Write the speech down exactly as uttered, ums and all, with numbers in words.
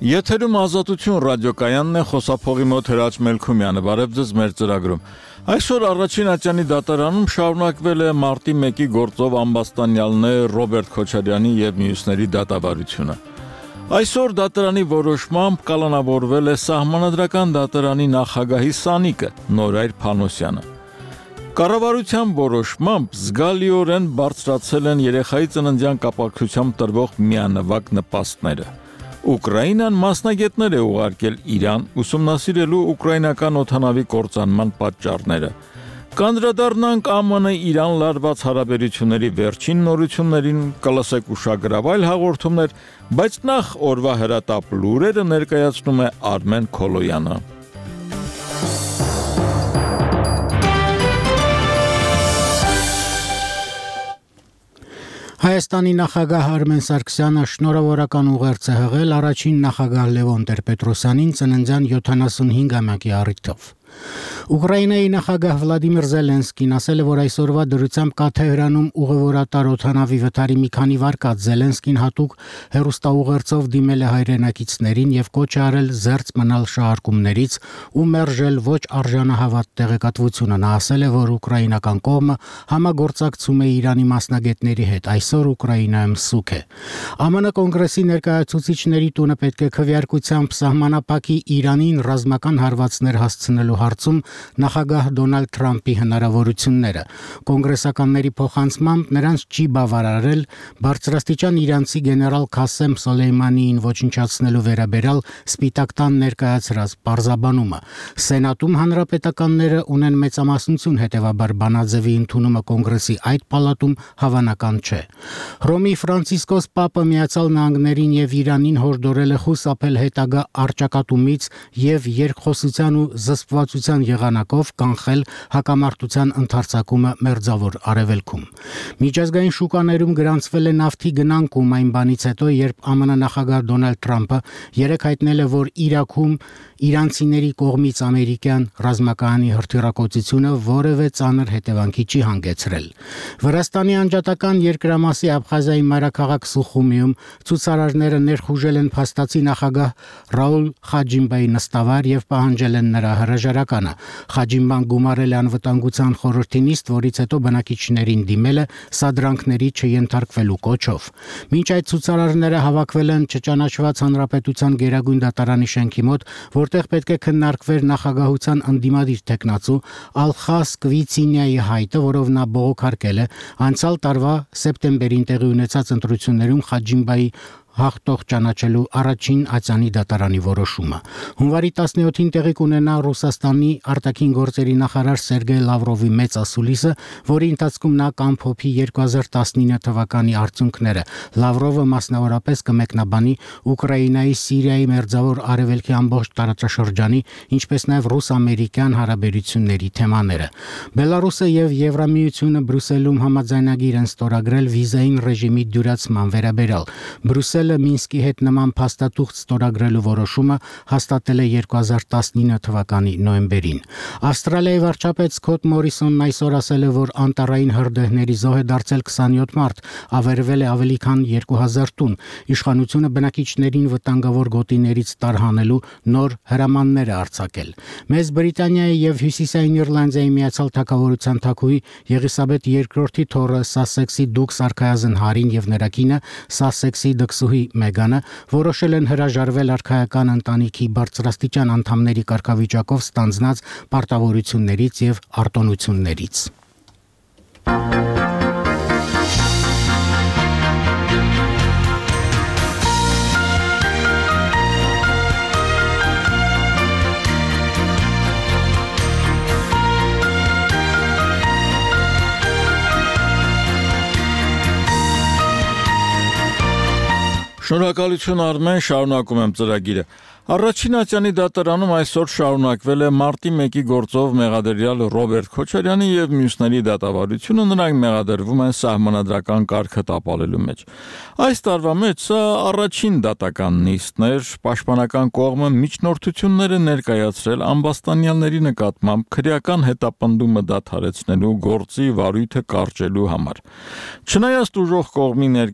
Եթերում Ազատություն ռադիոկայանն է, խոսափողի մոտ Հրաչ Մելքումյանը, բարև ձեզ մեր ծրագրում։ Այսօր առաջին ատյանի դատարանում շարունակվել է մարտի մեկի գործով ամբաստանյալներ Ռոբերտ Քոչարյանի և մյուսների դատավարությունը։ Այսօր դատարանի որոշմամբ կալանավորվել է Սահմանադրական դատարանի նախագահի սանիկը Նորայր Փանոսյանը։ Կառավարության որոշմամբ զգալիորեն բարձրացել են երեխայի ծննդյան կապակցությամբ տրվող միանվագ նպաստները։ Ուկրաինան մասնագետներ է ուղարկել Իրան ուսումնասիրելու ուկրաինական օդանավի կործանման պատճառները։ Կանդրադառնանք ԱՄՆ-Իրան լարված հարաբերությունների վերջին նորություններին, կլսեք ուշագրավ հաղորդումներ, բայց նախ օրվա հրատապ լուրերը ներկայացնում է Արմեն Քոլոյանը։ Հայաստանի նախագահ Արմեն Սարգսյանը շնորհավորական ուղերձ է հղել առաջին նախագահ Լևոն Տեր-Պետրոսյանին ծննդյան յոթանասունհինգամյակի առիթով։ Ուկրաինայի նախագահ Վլադիմիր Զելենսկին ասել է, որ այսօրվա դրությամբ կա Թեհրանում ուղևորատար օդանավի վթարի մի քանի վարկած։ Զելենսկին հատուկ հեռուստաուղերձով դիմել է հայրենակիցներին և կոչ է արել զերծ մնալ շահարկումներից ու մերժել ոչ արժանահավատ տեղեկատվությունը։ Նա ասել է, որ ուկրաինական կողմը համագործակցում է Իրանի մասնագետների հետ։ Այսօր Ուկրաինայում սուգ է։ ԱՄՆ կոնգրեսի ներկայացուցիչների տունը պետք է քվեարկությամբ սահմանափակի Իրանին ռազմական հարվածներ հասցնելու հարցում նախագահ Դոնալդ Թրամփի հնարավորությունները։ Կոնգրեսականների փոխանցմամբ նրանց չի բավարարել բարձրաստիճան իրանցի գեներալ Քասեմ Սոլեյմանիին ոչնչացնելու վերաբերյալ Սպիտակ տան ներկայացրած պարզաբանումը։ Սենատում հանրապետականները ունեն մեծամասնություն, հետևաբար բանաձևի ընդունումը կոնգրեսի այդ պալատում հավանական չէ։ Հռոմի Ֆրանցիսկոս Պապը Միացյալ Նահանգներին և Իրանին հորդորել է խուսափել հետագա առճակատումից և երկխոսության ու զսպվածության եղանակով կանխել հակամարտության ընդարձակումը Մերձավոր Արևելքում։ Միջազգային շուկաներում գրանցվել է նավթի գնանկում այն բանից հետո, երբ ԱՄՆ նախագահ Դոնալդ Թրամփը երեկ հայտնել է, որ Իրաքում իրանցիների կողմից ամերիկյան ռազմակայանի հրթիռակոծությունը որևէ ծանր հետևանքի չի հանգեցրել։ Վրաստանի անջատական երկրամասի Աբխազիայի մայրաքաղաք Սուխումիում ցուցարարները ներխուժել են փաստացի նախագահ Ռաուլ Խաջիմբայի նստավայր և պահանջել են նրա հրաժարականը։ Խաջիմբան գումարել է անվտանգության խորհրդի նիստ, որից հետո բնակիչներին դիմել է սադրանքների չենթարկվելու կոչով։ Մինչ այդ ցուցարարները հավաքվել են չճանաչված հանրապետության գերագույն դատարանի շենքի մոտ, որտեղ պետք է քննարկվեր նախագահության ընդդիմադիր թեկնածու Ալխաս Կվիցինյայի հայտը, որով նա բողոքարկել է անցյալ տարվա սեպտեմբերին տեղի ունեցած ընտրություններում Խաջիմբայի հաղթող ճանաչելու առաջին ատյանի դատարանի որոշումը։ Հունվարի տասնյոթին տեղի կունենա Ռուսաստանի արտաքին գործերի նախարար Սերգեյ Լավրովի մեծ ասուլիսը, որի ընթացքում նա կամփոփի երկու հազար տասնինը թվականի արդյունքները։ Լավրովը մասնավորապես կմեկնաբանի Ուկրաինայի, Սիրիայի, Մերձավոր Արևելքի ամբողջ տարածաշրջանի, ինչպես նաև ռուս-ամերիկյան հարաբերությունների թեմաները։ Բելարուսը և Եվրամիությունը Բրյուսելում համաձայնագիր են ստորագրել վիզային ռեժիմի դյուրացման վերաբերյալ։ Բրյուսելը Մինսկի հետ նման փաստաթուղթ ստորագրելու որոշումը հաստատել է երկու հազար տասնինը թվականի նոյեմբերին։ Ավստրալիայի վարչապետ Սքոթ Մորիսոնն այսօր ասել է, որ անտառային հրդեհների զոհ է դարձել քսանյոթ մարդ, ավերվել է ավելի քան երկու հազար տուն։ Իշխանությունը բնակիչներին վտանգավոր գոտիներից տարհանելու նոր հրամաններ է արձակել։ Մեծ Բրիտանիայի և Հյուսիսային Իռլանդիայի Միացյալ Թագավորության թագուհի Եղիսաբեթ երկրորդի թոռը Սասեքսի դուք Սարքայազն Հարին և նրա կինը Սասեքսի դքսուհի Մեգանը որոշել են հրաժարվել արքայական ընտանիքի բարձրաստիճան անդամների կարգավիճակով ստանձնած պարտավորություններից և արտոնություններից։ Շնորհակալություն Արմեն, շարունակում եմ ծրագիրը։ Առաջին ատյանի դատարանում այսօր շարունակվել է մարտի մեկի գործով մեղադրյալ Ռոբերտ Քոչարյանի և մյուսների դատավարությունը, նրանք մեղադրվում են սահմանադրական կարգը տապալելու մեջ։ Այս տարվա մեջ սա առաջին դատական նիստն էր, պաշտպանական կողմը միջնորդություններ է ներկայացրել ամբաստանյալների նկատմամբ քրեական հետապնդումը դադարեցնելու գործի վարույթը կարճելու համար։ Չնայած ուժող կողմի ներկայացուցիչների